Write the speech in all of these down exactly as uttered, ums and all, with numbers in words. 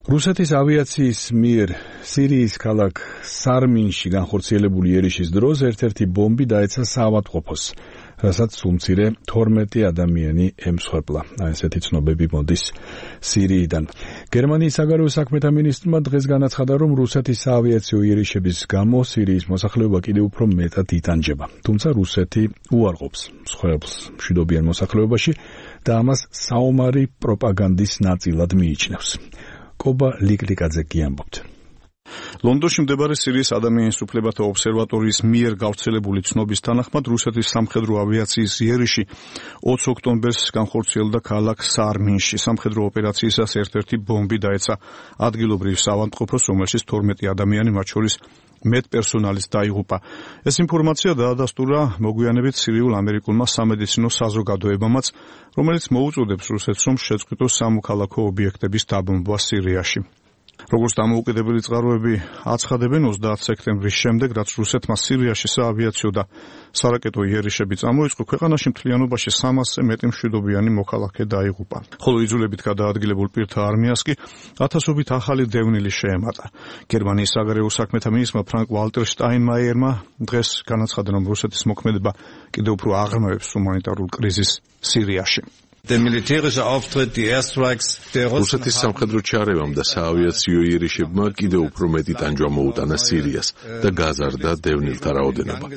რუსეთის ავიაციის მიერ სირიის ქალაქ სარმინში განხორციელებული ერიშის დროს ერთ-ერთი ბომბი დაეცა საავადმყოფოს, რასაც სულმცირე თორმეტი ადამიანი ემსხვერპლა. ესეთი ცნობები მოდის სირიიდან. გერმანიის საგარეო საქმეთა მინისტრმა დღეს განაცხადა, რომ რუსეთის საავიაციო ერიშების გამო სირიის მოსახლეობა კიდევ უფრო მეტად იტანჯება. თუმცა რუსეთი უარყოფს მსხვერპლს მშვიდობიან მოსახლეობაში და ამას საომარი პროპაგანდის ნაწილად მიიჩნევს. კობა ლიკლიკაძე გიამბობთ. ლონდონში მდებარე სირიის ადამიანის უფლებათა ობსერვატორიის მიერ გავრცელებული ცნობის თანახმად რუსეთის სამხედრო ავიაციის იერიში ოცი ოქტომბერს განხორციელდა ქალაქ სარმინში. სამხედრო ოპერაციისას ერთ-ერთი ბომბი დაეცა ადგილობრივ საავადმყოფოს, რომელშიც თორმეტი ადამიანი, მათ შორის მეტპერსონალის დაიღუპა. ეს ინფორმაცია დაადასტურა მოგვიანებით სირიულ-ამერიკულმა სამედიცინო საზოგადოებამაც, რომელიც მოუწოდებს რუსეთს, რომ შეწყვიტოს სამოქალაქო ობიექტების დაბომბვა სირიაში. როგორც დამოუკიდებელი წყაროები აცხადებენ, ოცდაათი სექტემბრის შემდეგ, რაც რუსეთმა სირიაში საავიაციო და სარაკეტო იერიშები წამოიწყო, ქვეყანაში მთლიანობაში სამასზე მეტი მშვიდობიანი მოქალაქე დაიღუპა. ხოლო იძულებით გადაადგილებულ პირთა არმიას კი ათასობით ახალი დევნილი შეემატა. გერმანიის საგარეო საქმეთა მინისტრმა ფრანკ ვალტერ შტაინმაიერმა დღეს განაცხადა, რომ რუსეთის მოქმედება კიდევ უფრო აღრმავებს ჰუმანიტარულ კრიზისს სირიაში. რუსეთის სამხედრო ჩარევამ და საავიაციო იერიშებმა კიდევ უფრო მეტი ტანჯვა მოუტანა სირიას და გაზარდა დევნილთა რაოდენობა.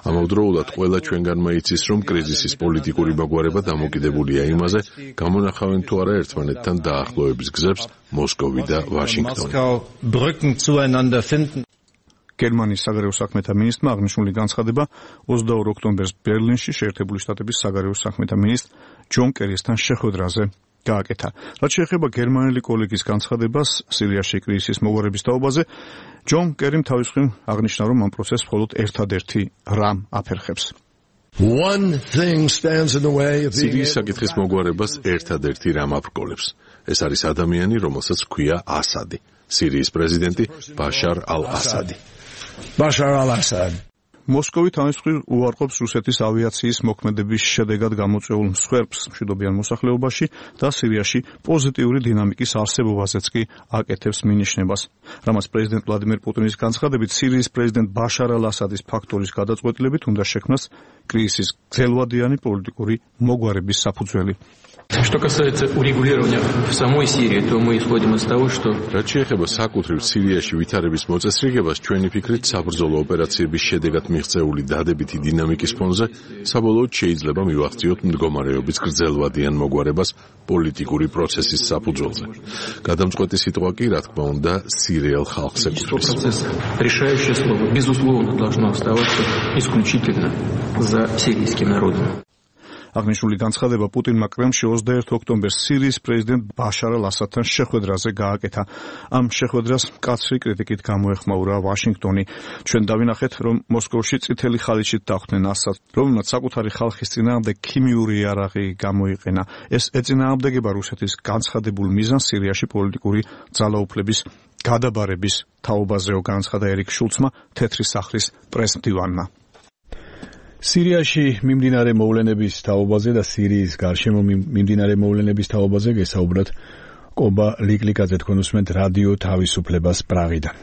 ამავდროულად ყველა ჩვენგანმა იცის, რომ კრიზისის პოლიტიკური მოგვარება დამოკიდებულია იმაზე, გამონახავენ თუ არა ერთმანეთთან დაახლოების გზებს მოსკოვი და ვაშინგტონი. გერმანიის საგარეო საქმეთა მინისტრმა აღნიშნული განცხადება ოცდაორი ოქტომბერს ბერლინში შეერთებული შტატების საგარეო საქმეთა მინისტრ ჯონ კერისთან შეხვედრაზე გააკეთა. რაც შეეხება გერმანელი კოლეგის განცხადებას სირიაში კრიზისის მოგვარების თაობაზე, ჯონ კერიმ თავის მხრივ აღნიშნა, რომ ამ პროცესს მხოლოდ ერთადერთი რამ აფერხებს. სირიის საკითხის მოგვარებას ერთადერთი რამ აბრკოლებს. ეს არის ადამიანი, რომელსაც ჰქვია ასადი, სირიის პრეზიდენტი ბაშარ ალ-ასადი. ბაშარ ალ-ასადი. მოსკოვი თავის მხრივ უარყოფს რუსეთის ავიაციის მოქმედების შედეგად გამოწვეულ მსხვერპლს მშვიდობიან მოსახლეობაში და სირიაში პოზიტიური დინამიკის არსებობაზეც კი აკეთებს მინიშნებას. რამაც პრეზიდენტ ვლადიმერ პუტინის განცხადებით, სირიის პრეზიდენტ ბაშარ ალ-ასადის ფაქტორის გადაწყვეტილებით უნდა შექმნას კრიზისის გრძელვადიანი პოლიტიკური მოგვარების საფუძველი. Что касается урегулирования в самой Сирии, то мы исходим из того, что რაც შეეხება საკუთრივ სირიაში ვითარების მოწესრიგებას, ჩვენი ფიქრით საბრძოლო ოპერაციების შედეგად მიღწეული დადებითი დინამიკის ფონზე საბოლოოდ შეიძლება მივახციოთ მდგომარეობის გრძელვადიან მოგვარებას პოლიტიკური პროცესის საფუძველზე. გადამწყვეტი სიტყვა კი, რა თქმა უნდა, სირიელ ხალხს ეკუთვნის. решающее слово безусловно должно оставаться исключительно за сирийским народом. აღნიშნული განცხადება პუტინმა კრემლში ოცდაერთი ოქტომბერს სირიის პრეზიდენტ ბაშარ ალ-ასადთან შეხვედრაზე გააკეთა. ამ შეხვედრას მკაცრი კრიტიკით გამოეხმაურა ვაშინგტონი. ჩვენ დავინახეთ, რომ მოსკოვში წითელი ხალიჩით დახვდნენ ასადს, რომელმაც საკუთარი ხალხის წინააღმდეგ ქიმიური იარაღი გამოიყენა. ეს ეწინააღმდეგება რუსეთის განცხადებულ მიზანს სირიაში პოლიტიკური ძალაუფლების გადაბარების თაობაზეო, განაცხადა ერიკ შულცმა, თეთრი სახლის პრესმდივანმა. სირიაში მიმდინარე მოვლენების თაობაზე და სირიის გარშემო მიმდინარე მოვლენების თაობაზე გესაუბრათ კობა ლიკლიკაძე, თქვენ უსმენთ რადიო თავისუფლებას პრაღიდან.